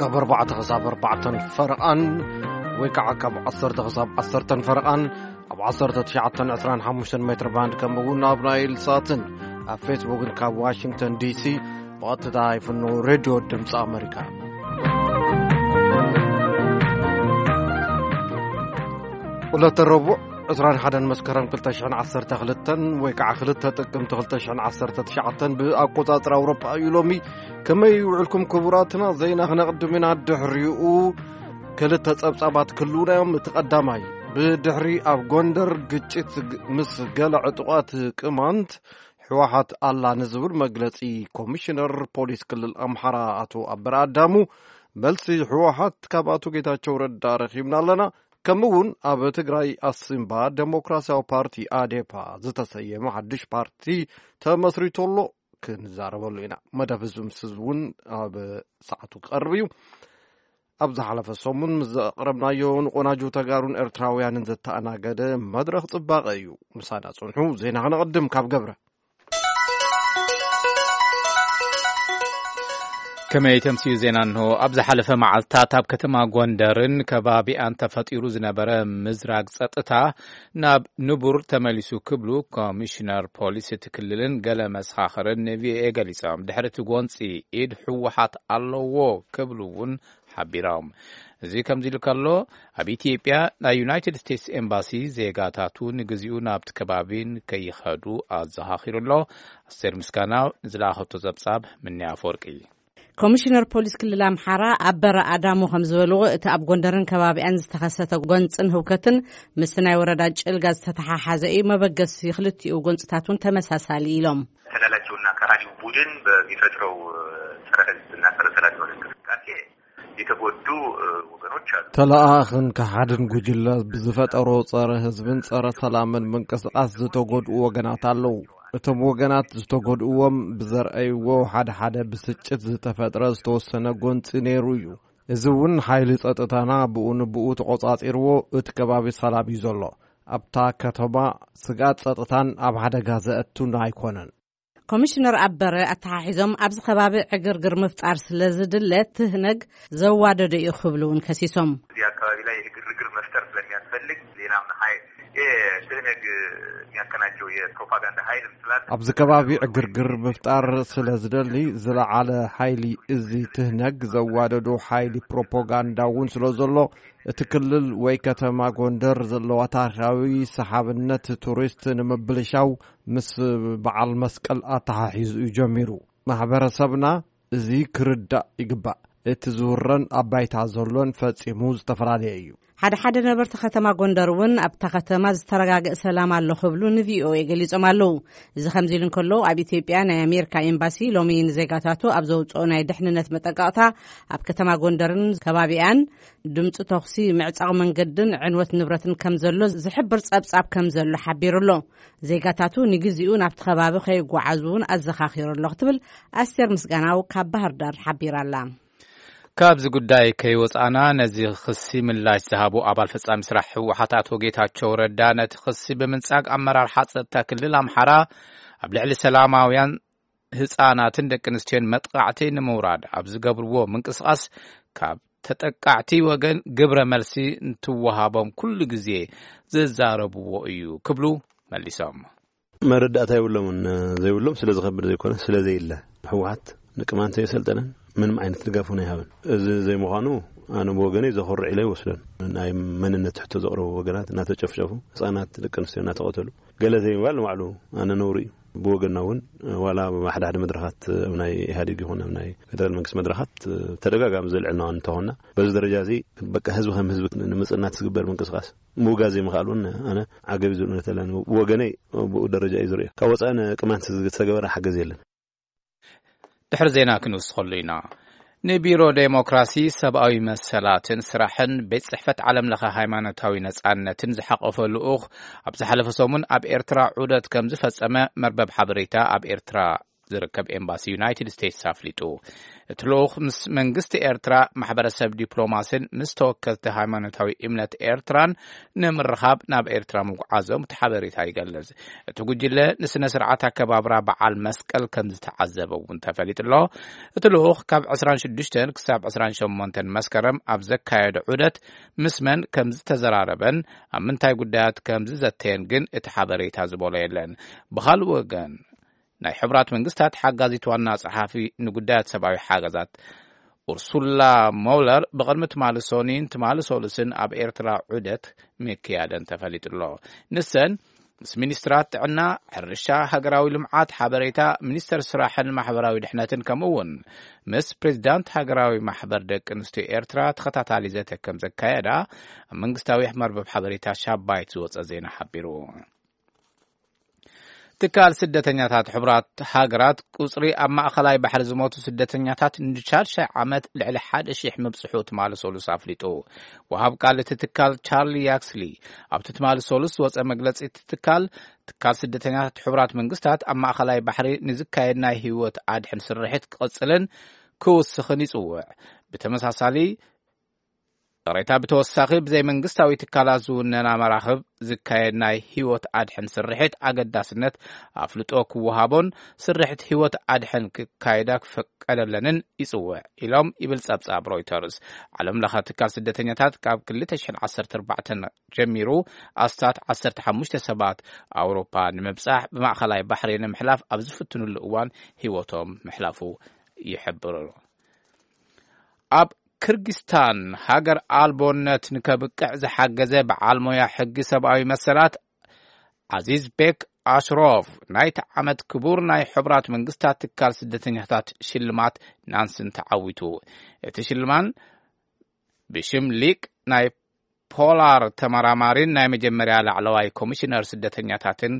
ካብ ኣርባዕተ ክሳብ ኣርባዕተን ፈረቓን ወይ ከዓ ካብ ዓሰርተ ክሳብ ዓሰርተን ፈረቓን ኣብ ዓሰርተ ትሽዓተን ዕስራን ሓሙሽተን ሜትር ባንድ፣ ከምኡ እውን ኣብ ናይል ሳትን ኣብ ፌስቡክን ካብ ዋሽንግተን ዲሲ ብቐጥታ ይፍኖ ሬድዮ ድምፂ ኣመሪካ። ዕለተ ረቡዕ ዕስራን ሓደን መስከረም ክልተ ሽሕን ዓሰርተ ክልተን ወይ ከዓ ክልተ ጥቅምቲ ክልተ ሽሕን ዓሰርተ ትሽዓተን ብኣቆፃፅራ ኣውሮፓ እዩ ሎሚ። ከመይ ውዕልኩም ክቡራትና? ዜና ክነቕድም ኢና። ድሕሪኡ ክልተ ጸብጻባት ክህልዉና እዮም። እቲ ቀዳማይ፣ ብድሕሪ ኣብ ጎንደር ግጭት ግ-፣ ምስ ገለ ዕጡቓት ቅማንት ህወሓት ኣላ ንዝብል መግለጺ ኮሚሽነር ፖሊስ ክልል ኣምሓራ ኣቶ ኣበረ ኣዳሙ፣ መልሲ ህወሓት ካብ ኣቶ ጌታቸው ረዳ ረኺብና ኣለና። ከምኡ እውን ኣብ ትግራይ ኣሲምባ ዴሞክራሲያዊ ፓርቲ ኣዴፓ ዝተሰየመ ሓድሽ ፓርቲ ተመስሪቱ ኣሎ። ክንዛረበሉ ኢና። መደብ ህዝቢ ምስ ህዝቢ እውን ኣብ ሰዓቱ ክቐርብ እዩ። ኣብ ዝሓለፈ ሰሙን ምስ ዘቕረብናዮ ንቆናጁ ተጋሩን ኤርትራውያንን ዘተኣናገደ መድረኽ ጽባቐ እዩ። ምሳና ጽንሑ። ዜና ክነቕድም ካብ ገብረ። ከመይ ተምስዩ ዜና እንሆ። ኣብ ዝሓለፈ መዓልታት ኣብ ከተማ ጎንደርን ከባቢኣን ተፈጢሩ ዝነበረ ምዝራግ ጸጥታ ናብ ንቡር ተመሊሱ ክብሉ ኮሚሽነር ፖሊስ እቲ ክልልን ገለ መሰኻኽርን ንቪኦኤ ገሊጾም። ድሕሪ እቲ ጎንጺ ኢድ ህወሓት ኣለዎ ክብሉ እውን ሓቢሮም። እዚ ከምዚ ኢሉ ከሎ፣ ኣብ ኢትዮጵያ ናይ ዩናይትድ ስቴትስ ኤምባሲ ዜጋታቱ ንግዚኡ ናብቲ ከባቢን ከይኸዱ ኣዘኻኺሩ ኣሎ። ኣስቴር ምስጋናው ንዝለኣኸቶ ጸብጻብ ምንያ ኣፈወርቂ። ኮሚሽነር ፖሊስ ክልል ኣምሓራ ኣበረ ኣዳሙ ከም ዝበልዎ፣ እቲ ኣብ ጎንደርን ከባቢኣን ዝተኸሰተ ጎንፅን ህውከትን ምስቲ ናይ ወረዳ ጭልጋ ዝተተሓሓዘ እዩ። መበገሲ ክልቲኡ ጎንፅታት እውን ተመሳሳሊ ኢሎም። ተላላኪውና ከራዲው ቡድን በሚፈጥረው ጸረ ህዝብና ጸረ ሰላም የሆነ እንቅስቃሴ የተጎዱ ወገኖች አሉ። ተለኣኣኽን ከሓድን ጉጅለ ብዝፈጠሮ ጸረ ህዝብን ጸረ ሰላምን ምንቅስቃስ ዝተጎድኡ ወገናት ኣለዉ። እቶም ወገናት ዝተጎድእዎም ብዘርኣይዎ ሓደ ሓደ ብስጭት ዝተፈጥረ ዝተወሰነ ጎንጺ ነይሩ እዩ። እዚ እውን ሓይሊ ጸጥታና ብኡ ንብኡ ተቖጻጺርዎ እቲ ከባቢ ሰላም እዩ ዘሎ። ኣብታ ከተማ ስግኣት ጸጥታን ኣብ ሓደጋ ዘእቱን ኣይኮነን። ኮሚሽነር ኣበረ ኣተሓሒዞም፣ ኣብዚ ከባቢ ዕግርግር ምፍጣር ስለ ዝድለ ትህነግ ዘዋደደ እዩ ክብሉ እውን ከሲሶም። እዚህ አካባቢ ላይ ግርግር መፍጠር ስለሚያስፈልግ ሌላም ኃይል ይህ ትህነግ የሚያቀናጀው የፕሮፓጋንዳ ኃይልም ስላለ ኣብዚ ከባቢ ዕግርግር ምፍጣር ስለ ዝደሊ ዝለዓለ ሓይሊ እዚ ትህነግ ዘዋደዶ ሓይሊ ፕሮፓጋንዳ እውን ስለ ዘሎ እቲ ክልል ወይ ከተማ ጎንደር ዘለዋ ታሪኻዊ ሰሓብነት ቱሪስት ንምብልሻው ምስ በዓል መስቀል ኣተሓሒዙ እዩ ጀሚሩ። ማሕበረሰብና እዚ ክርዳእ ይግባእ። እቲ ዝውረን ኣብ ባይታ ዘሎን ፈጺሙ ዝተፈላለየ እዩ። ሓደ ሓደ ነበርቲ ከተማ ጎንደር እውን ኣብታ ከተማ ዝተረጋገእ ሰላም ኣሎ ክብሉ ንቪኦኤ ገሊጾም ኣለዉ። እዚ ከምዚ ኢሉ እንከሎ፣ ኣብ ኢትዮጵያ ናይ ኣሜሪካ ኤምባሲ ሎሚ ንዜጋታቱ ኣብ ዘውፅኦ ናይ ድሕንነት መጠንቀቕታ፣ ኣብ ከተማ ጎንደርን ከባቢኣን ድምፂ ተኹሲ፣ ምዕጻቕ መንገድን ዕንወት ንብረትን ከም ዘሎ ዝሕብር ጸብጻብ ከም ዘሎ ሓቢሩ ኣሎ። ዜጋታቱ ንግዚኡ ናብቲ ከባቢ ከይጓዓዙ እውን ኣዘኻኺሩ ኣሎ ክትብል ኣስቴር ምስጋናው ካብ ባህር ዳር ሓቢራ ኣላ። ካብዚ ጉዳይ ከይወጻእና፣ ነዚ ክሲ ምላሽ ዝሃቡ ኣባል ፈጻሚ ስራሕ ህወሓት ኣቶ ጌታቸው ረዳ፣ ነቲ ክሲ ብምንጻግ፣ ኣመራርሓ ጸጥታ ክልል ኣምሓራ ኣብ ልዕሊ ሰላማውያን ህጻናትን ደቂ ኣንስትዮን መጥቃዕቲ ንምውራድ ኣብ ዝገብርዎ ምንቅስቓስ፣ ካብ ተጠቃዕቲ ወገን ግብረ መልሲ እንትወሃቦም ኩሉ ግዜ ዝዛረብዎ እዩ ክብሉ መሊሶም። መረዳእታ የብሎምን። ዘይብሎም ስለ ዝኸብድ ዘይኮነ፣ ስለ ዘይለ። ህወሓት ንቅማንት የሰልጠነን፣ ምንም ዓይነት ድጋፍ እውን ኣይሃብን። እዚ ዘይምዃኑ ኣነ ብወገነይ ዘኹርዕ ኢለ ይወስዶን። ናይ መንነት ሕቶ ዘቕረቡ ወገናት እናተጨፍጨፉ፣ ህፃናት ደቂ ኣንስትዮ እናተቐተሉ፣ ገለ ዘይምባል ንባዕሉ ኣነ ነውሪ እዩ። ብወገንና እውን ዋላ ኣብ ሓደ ሓደ መድረኻት፣ ኣብ ናይ ኢህኣዴግ ይኹን ኣብ ናይ ፌደራል መንግስቲ መድረኻት ተደጋጋሚ ዘልዕልና እንተኾንና፣ በዚ ደረጃ እዚ በቃ ህዝቢ ከም ህዝቢ ንምፅናት ዝግበር ምንቅስቃስ ምውጋዝ ዘይምኽኣል እውን ኣነ ዓገብ እዩ ዝብል እምነት ኣለኒ። ብወገነይ ብኡ ደረጃ እዩ ዝርእዮ። ካብ ወፃኢ ንቅማንት ዝተገበረ ሓገዝ የለን። ድሕሪ ዜና ክንውስኸሉ ኢና። ንቢሮ ዴሞክራሲ፣ ሰብኣዊ መሰላትን ስራሕን ቤት ጽሕፈት ዓለም ለኸ ሃይማኖታዊ ነጻነትን ዝሓቆፈ ልኡኽ ኣብ ዝሓለፈ ሰሙን ኣብ ኤርትራ ዑደት ከም ዝፈጸመ መርበብ ሓበሬታ ኣብ ኤርትራ ዝርከብ ኤምባሲ ዩናይትድ ስቴትስ ኣፍሊጡ። እቲ ልኡኽ ምስ መንግስቲ ኤርትራ፣ ማሕበረሰብ ዲፕሎማስን ምስ ተወከልቲ ሃይማኖታዊ እምነት ኤርትራን ንምርኻብ ናብ ኤርትራ ምጉዓዞም እቲ ሓበሬታ ይገልጽ። እቲ ጉጅለ ንስነ ስርዓት ኣከባብራ በዓል መስቀል ከም ዝተዓዘበ እውን ተፈሊጡ ኣሎ። እቲ ልኡኽ ካብ ዕስራን ሽዱሽተን ክሳብ ዕስራን ሸሞንተን መስከረም ኣብ ዘካየዶ ዑደት ምስ መን ከም ዝተዘራረበን ኣብ ምንታይ ጉዳያት ከም ዝዘተየን ግን እቲ ሓበሬታ ዝበሎ የለን። ብኻልእ ወገን፣ ናይ ሕቡራት መንግስታት ሓጋዚት ዋና ጸሓፊ ንጉዳያት ሰብኣዊ ሓገዛት ኡርሱላ ሞለር ብቕድሚ ትማሊ ሶኒን ትማሊ ሶሉስን ኣብ ኤርትራ ዑደት ምክያደን ተፈሊጡ ኣሎ። ንሰን ምስ ሚኒስትራት ጥዕና፣ ሕርሻ፣ ሃገራዊ ልምዓት፣ ሓበሬታ፣ ሚኒስተር ስራሕን ማሕበራዊ ድሕነትን ከምኡ እውን ምስ ፕሬዚዳንት ሃገራዊ ማሕበር ደቂ ኣንስትዮ ኤርትራ ተኸታታሊ ዘተ ከም ዘካየዳ ኣብ መንግስታዊ መርበብ ሓበሬታ ሻባይት ዝወጸ ዜና ሓቢሩ። ትካል ስደተኛታት ሕቡራት ሃገራት ቁጽሪ ኣብ ማእኸላይ ባሕሪ ዝሞቱ ስደተኛታት ንሻድሻይ ዓመት ልዕሊ ሓደ ሺሕ ምብጽሑ ትማሊ ሶሉስ ኣፍሊጡ። ወሃብ ቃል እቲ ትካል ቻርሊ ያክስሊ ኣብቲ ትማሊ ሶሉስ ዝወጸ መግለጺ፣ እቲ ትካል፣ ትካል ስደተኛታት ሕቡራት መንግስታት ኣብ ማእኸላይ ባሕሪ ንዝካየድ ናይ ህይወት ኣድሕን ስርሒት ክቕጽልን ክውስኽን ይጽውዕ። ብተመሳሳሊ፣ ይቕሬታ፣ ብተወሳኺ ብዘይ መንግስታዊ ትካላት ዝውነና መራኽብ ዝካየድ ናይ ህይወት ኣድሕን ስርሒት ኣገዳስነት ኣፍልጦ ክወሃቦን ስርሒት ህይወት ኣድሕን ክካየዳ ክፍቀደለንን ይጽውዕ ኢሎም ይብል ጸብጻብ ሮይተርስ። ዓለም ለኸ ትካል ስደተኛታት ካብ ክልተ ሽሕን ዓሰርተ ኣርባዕተን ጀሚሩ ኣስታት ዓሰርተ ሓሙሽተ ሰባት ኣውሮፓ ንምብጻሕ ብማእኸላይ ባሕሪ ንምሕላፍ ኣብ ዝፍትኑሉ እዋን ህይወቶም ምሕላፉ ይሕብር። ኣብ ክርጊስታን ሃገር ኣልቦነት ንከብቅዕ ዝሓገዘ በዓል ሞያ ሕጊ ሰብኣዊ መሰላት ዓዚዝ ቤክ ኣሽሮፍ ናይቲ ዓመት ክቡር ናይ ሕቡራት መንግስታት ትካል ስደተኛታት ሽልማት ናንስን ተዓዊቱ። እቲ ሽልማን ብሽም ሊቅ ናይ ፖላር ተመራማሪን ናይ መጀመርያ ላዕለዋይ ኮሚሽነር ስደተኛታትን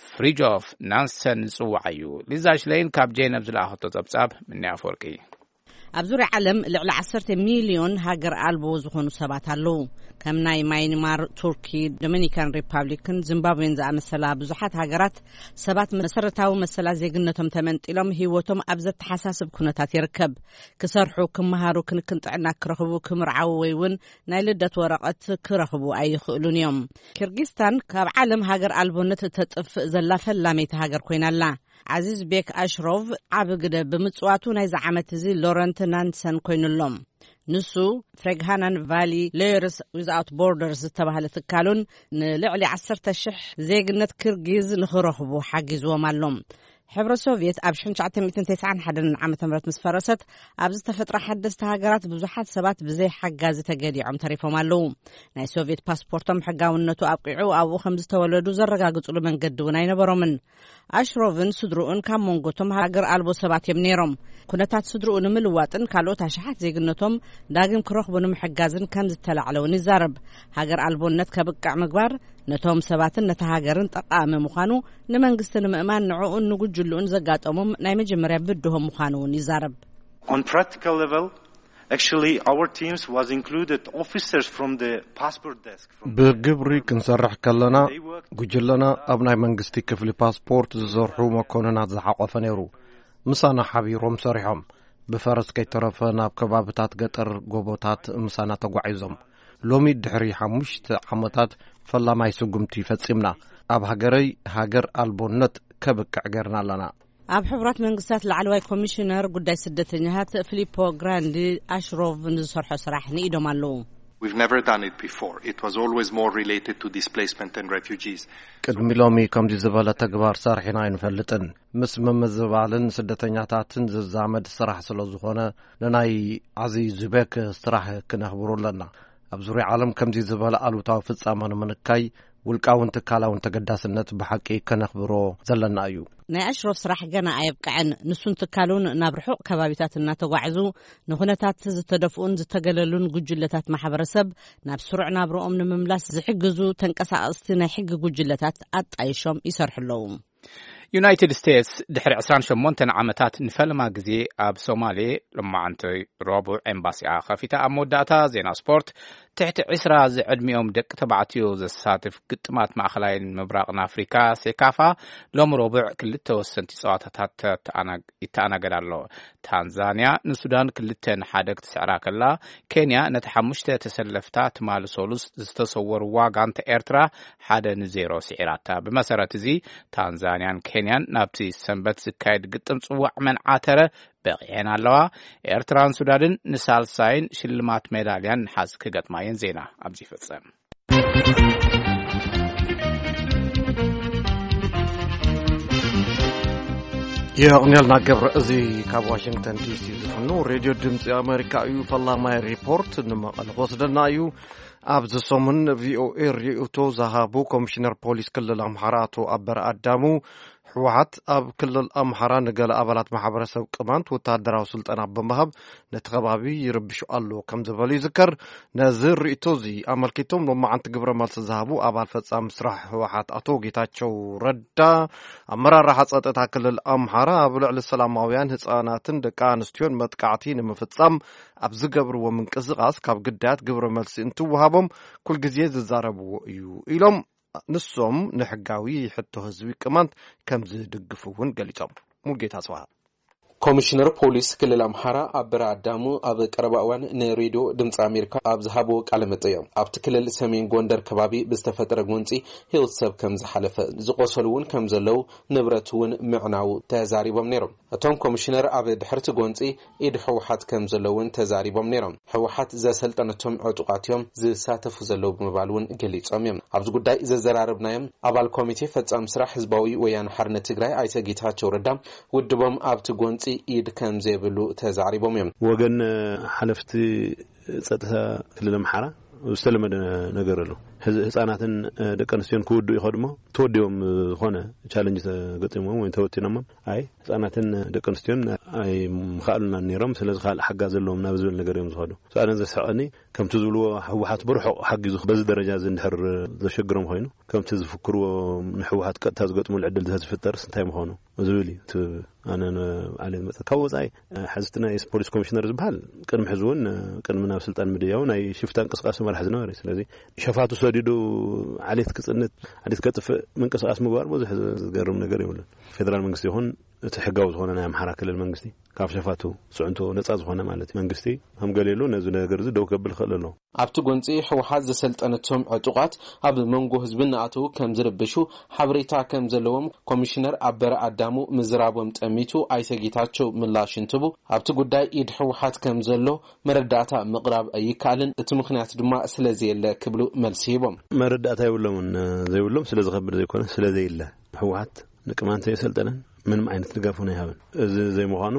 ፍሪጆፍ ናንሰን ዝጽዋዕ እዩ። ሊዛ ሽለይን ካብ ጄነቭ ዝለኣኸቶ ጸብጻብ ምንያ ኣፈወርቂ። ኣብ ዙርያ ዓለም ልዕሊ ዓሰርተ ሚልዮን ሃገር ኣልቦ ዝኾኑ ሰባት ኣለዉ። ከም ናይ ማይንማር፣ ቱርኪ፣ ዶሚኒካን ሪፓብሊክን ዚምባብዌን ዝኣመሰላ ብዙሓት ሃገራት ሰባት መሰረታዊ መሰላት ዜግነቶም ተመንጢሎም ህይወቶም ኣብ ዘተሓሳስብ ኩነታት ይርከብ። ክሰርሑ፣ ክመሃሩ፣ ክንክን ጥዕና ክረኽቡ፣ ክምርዓዉ ወይ እውን ናይ ልደት ወረቐት ክረኽቡ ኣይኽእሉን እዮም። ኪርጊስታን ካብ ዓለም ሃገር ኣልቦነት እተጥፍእ ዘላ ፈላመይቲ ሃገር ኮይና ኣላ። ዓዚዝ ቤክ ኣሽሮቭ ዓቢ ግደ ብምጽዋቱ ናይዚ ዓመት እዚ ሎረንት ናንሰን ኮይኑሎም። ንሱ ፍሬግሃናን ቫሊ ሎየርስ ዊዝኣውት ቦርደርስ ዝተባህለ ትካሉን ንልዕሊ ዓሰርተ ሽሕ ዜግነት ክርጊዝ ንኽረኽቡ ሓጊዝዎም ኣሎ። ሕብረ ሶቭየት ኣብ ሽሕን ትሽዓተ ሚእትን ተስዓን ሓደን ዓመተ ምህረት ምስ ፈረሰት፣ ኣብ ዝተፈጥራ ሓደስቲ ሃገራት ብዙሓት ሰባት ብዘይ ሓጋዚ ተገዲዖም ተሪፎም ኣለዉ። ናይ ሶቭየት ፓስፖርቶም ሕጋውነቱ ኣብቂዑ ኣብኡ ከም ዝተወለዱ ዘረጋግጹሉ መንገዲ እውን ኣይነበሮምን። ኣሽሮቭን ስድርኡን ካብ መንጎቶም ሃገር ኣልቦ ሰባት እዮም ነይሮም። ኩነታት ስድርኡ ንምልዋጥን ካልኦት ኣሽሓት ዜግነቶም ዳግም ክረኽቡ ንምሕጋዝን ከም ዝተላዕለ እውን ይዛረብ። ሃገር ኣልቦነት ከብቅዕ ምግባር ነቶም ሰባትን ነታ ሃገርን ጠቓሚ ምዃኑ ንመንግስቲ ንምእማን ንዕኡን ንጉጅልኡን ዘጋጠሞም ናይ መጀመርያ ብድሆም ምዃኑ እውን ይዛረብ። On practical level, actually, our teams was included officers from the passport desk, from ብግብሪ ክንሰርሕ ከለና፣ ጉጅለና ኣብ ናይ መንግስቲ ክፍሊ ፓስፖርት ዝሰርሑ መኮንናት ዝሓቆፈ ነይሩ። ምሳና ሓቢሮም ሰሪሖም። ብፈረስ ከይተረፈ ናብ ከባብታት ገጠር ጎቦታት ምሳና ተጓዒዞም። ሎሚ ድሕሪ ሓሙሽተ ዓመታት ፈላማይ ስጉምቲ ፈጺምና። ኣብ ሃገረይ ሃገር ኣልቦነት ከብቅዕ ገርና ኣለና። ኣብ ሕቡራት መንግስታት ላዕለዋይ ኮሚሽነር ጉዳይ ስደተኛታት ፊሊፖ ግራንዲ ኣሽሮቭ ንዝሰርሖ ስራሕ ንኢዶም ኣለዉ። We've never done it before. It was always more related to displacement and refugees. ቅድሚ ሎሚ ከምዚ ዝበለ ተግባር ሰርሒና ኣይንፈልጥን። ምስ ምምዝባልን ስደተኛታትን ዝዛመድ ስራሕ ስለ ዝኾነ፣ ንናይ ዓዚ ዙቤክ ስራሕ ክነኽብሮ ኣለና። ኣብ ዙርያ ዓለም ከምዚ ዝበለ ኣሉታዊ ፍጻመ ንምንካይ ውልቃውን ትካላውን ተገዳስነት ብሓቂ ከነኽብሮ ዘለና እዩ። ናይ ኣሽሮፍ ስራሕ ገና ኣየብቅዐን። ንሱን ትካሉን ናብ ርሑቕ ከባቢታት እናተጓዕዙ ንኹነታት ዝተደፍኡን ዝተገለሉን ጉጅለታት ማሕበረሰብ ናብ ስሩዕ ናብርኦም ንምምላስ ዝሕግዙ ተንቀሳቐስቲ ናይ ሕጊ ጉጅለታት ኣጣይሾም ይሰርሑ ኣለዉ። ዩናይትድ ስቴትስ ድሕሪ ዕስራን ሸሞንተን ዓመታት ንፈለማ ግዜ ኣብ ሶማሌ ሎማዓንቲ ረቡዕ ኤምባሲኣ ከፊታ። ኣብ መወዳእታ ዜና ስፖርት፣ ትሕቲ ዕስራ ዝዕድሚኦም ደቂ ተባዕትዮ ዘሳትፍ ግጥማት ማእኸላይን ምብራቕን ኣፍሪካ፣ ሴካፋ፣ ሎም ረቡዕ ክልተ ወሰንቲ ፀዋታታት ተኣና-፣ ይተኣናገድ ኣሎ። ታንዛንያ ንሱዳን ክልተ ንሓደ ክትስዕራ ከላ፣ ኬንያ ነቲ ሓሙሽተ ተሰለፍታ ትማሊ ሰሉስ ዝተሰወርዋ ጋንታ ኤርትራ ሓደ ንዜሮ ስዒራታ። ብመሰረት እዚ፣ ታንዛንያን ኬንያን ናብቲ ሰንበት ዝካየድ ግጥም ጽዋዕ መን ዓተረ በቒዐን ኣለዋ። ኤርትራን ሱዳንን ንሳልሳይን ሽልማት ሜዳልያን ንሓዝ ክገጥማ እየን። ዜና ኣብዚ ይፍጸም። የቕንየልና ገብረ። እዚ ካብ ዋሽንግተን ዲሲ ዝፍኖ ሬድዮ ድምፂ ኣሜሪካ እዩ። ፈላማይ ሪፖርት ንመቐለ ክወስደና እዩ። ኣብዚ ሰሙን ቪኦኤ ርእይቶ ዝሃቡ ኮሚሽነር ፖሊስ ክልል ኣምሓራ ኣቶ ኣበረ ኣዳሙ፣ ህወሓት ኣብ ክልል ኣምሓራ ንገለ ኣባላት ማሕበረሰብ ቅማንት ወታደራዊ ስልጠና ብምሃብ ነቲ ከባቢ ይርብሹ ኣሎ ከም ዝበሉ ይዝከር። ነዚ ርእይቶ እዚ ኣመልኪቶም ሎማዓንቲ ግብረ መልሲ ዝሃቡ ኣባል ፈጻሚ ስራሕ ህወሓት ኣቶ ጌታቸው ረዳ፣ ኣመራርሓ ጸጥታ ክልል ኣምሓራ ኣብ ልዕሊ ሰላማውያን ህጻናትን ደቂ ኣንስትዮን መጥቃዕቲ ንምፍጻም ኣብ ዝገብርዎ ምንቅስቓስ ካብ ግዳያት ግብረ መልሲ እንትወሃቦም ኩልግዜ ዝዛረብዎ እዩ ኢሎም። ንሶም ንሕጋዊ ሕቶ ህዝቢ ቅማንት ከም ዝድግፉ እውን ገሊጾም። ሙልጌታ ጽባህ። ኮሚሽነር ፖሊስ ክልል ኣምሓራ ኣበረ ኣዳሙ ኣብ ቀረባ እዋን ንሬድዮ ድምፂ ኣሜሪካ ኣብ ዝሃብዎ ቃለ መጠይቕ፣ ኣብቲ ክልል ሰሜን ጎንደር ከባቢ ብዝተፈጠረ ጎንፂ ህይወት ሰብ ከም ዝሓለፈ፣ ዝቆሰሉ እውን ከም ዘለዉ፣ ንብረት እውን ምዕናዉ ተዛሪቦም ነይሮም። እቶም ኮሚሽነር ኣብ ድሕርቲ ጎንፂ ኢድ ህወሓት ከም ዘሎ እውን ተዛሪቦም ነይሮም። ህወሓት ዘሰልጠነቶም ዕጡቓት እዮም ዝሳተፉ ዘለዉ ብምባል እውን ገሊጾም እዮም። ኣብዚ ጉዳይ ዘዘራረብናዮም ኣባል ኮሚቴ ፈጻሚ ስራሕ ህዝባዊ ወያነ ሓርነት ትግራይ ኣይተ ጌታቸው ረዳ፣ ውድቦም ኣብቲ ጎንፂ ኢድ ከም ዘይብሉ ተዛሪቦም እዮም። ወገን ሓለፍቲ ጸጥታ ክልል ኣምሓራ ዝተለመደ ነገር ኣሎ። ህዝ-፣ ህጻናትን ደቂ ኣንስትዮን ክውድኡ ይኸዱ እሞ፣ ተወዲቦም ዝኾነ ቻለንጅ ተገጢሞም ወይ ተወቲኖሞም፣ ኣይ ህጻናትን ደቂ ኣንስትዮን ኣይምኽኣሉናን ነይሮም፣ ስለዚ ካልእ ሓጋዝ ዘለዎም ናብ ዝብል ነገር እዮም ዝኸዱ። ኣነ ዘስሕቐኒ፣ ከምቲ ዝብልዎ ህወሓት ብርሑቕ ሓጊዙ በዚ ደረጃ እዚ እንድሕር ዘሸግሮም ኮይኑ፣ ከምቲ ዝፍክርዎ ንህወሓት ቀጥታ ዝገጥሙሉ ዕድል ተዝፍጠርስ እንታይ ምኾኑ ዝብል እዩ። እቲ ኣነ ንባዕለይ ዝመጸ ካብ ወጻኢ፣ ሕዚ እቲ ናይ ፖሊስ ኮሚሽነር ዝበሃል ቅድሚ ሕዚ እውን፣ ቅድሚ ናብ ስልጣን ምድያቡ ናይ ሽፍታ እንቅስቃሴ መራሕ ዝነበረ እዩ። ስለዚ ሸፋቱ ሰዲዱ ዓሌት ክጽንት፣ ዓሌት ከጥፍእ ምንቅስቃስ ምግባር ብዙሕ ዝገርም ነገር የብሉን። ፌደራል መንግስቲ ይኹን እቲ ሕጋዊ ዝኾነ ናይ ኣምሓራ ክልል መንግስቲ ካብ ሸፋቱ ስዕንቶ ነጻ ዝኾነ ማለት እዩ። መንግስቲ ከም ገሌሉ ነዚ ነገር እዚ ደው ከብል ክኽእል ኣለዎ። ኣብቲ ጎንፂ ህወሓት ዘሰልጠነቶም ዕጡቓት ኣብ መንጎ ህዝቢ እናኣተዉ ከም ዝርብሹ ሓበሬታ ከም ዘለዎም ኮሚሽነር ኣበረ ኣዳሙ ምዝራቦም ጠሚቱ ኣይተ ጌታቸው ምላሽ እንትቡ፣ ኣብቲ ጉዳይ ኢድ ህወሓት ከም ዘሎ መረዳእታ ምቕራብ ኣይከኣልን፣ እቲ ምኽንያት ድማ ስለዘየለ ክብሉ መልሲ ሂቦም። መረዳእታ የብሎምን፣ ዘይብሎም ስለ ዝኸብድ ዘይኮነ ስለዘየለ ህወሓት ንቅማንት የሰልጠነን ምንም ዓይነት ድጋፍ እውን ኣይሃበን። እዚ ዘይምዃኑ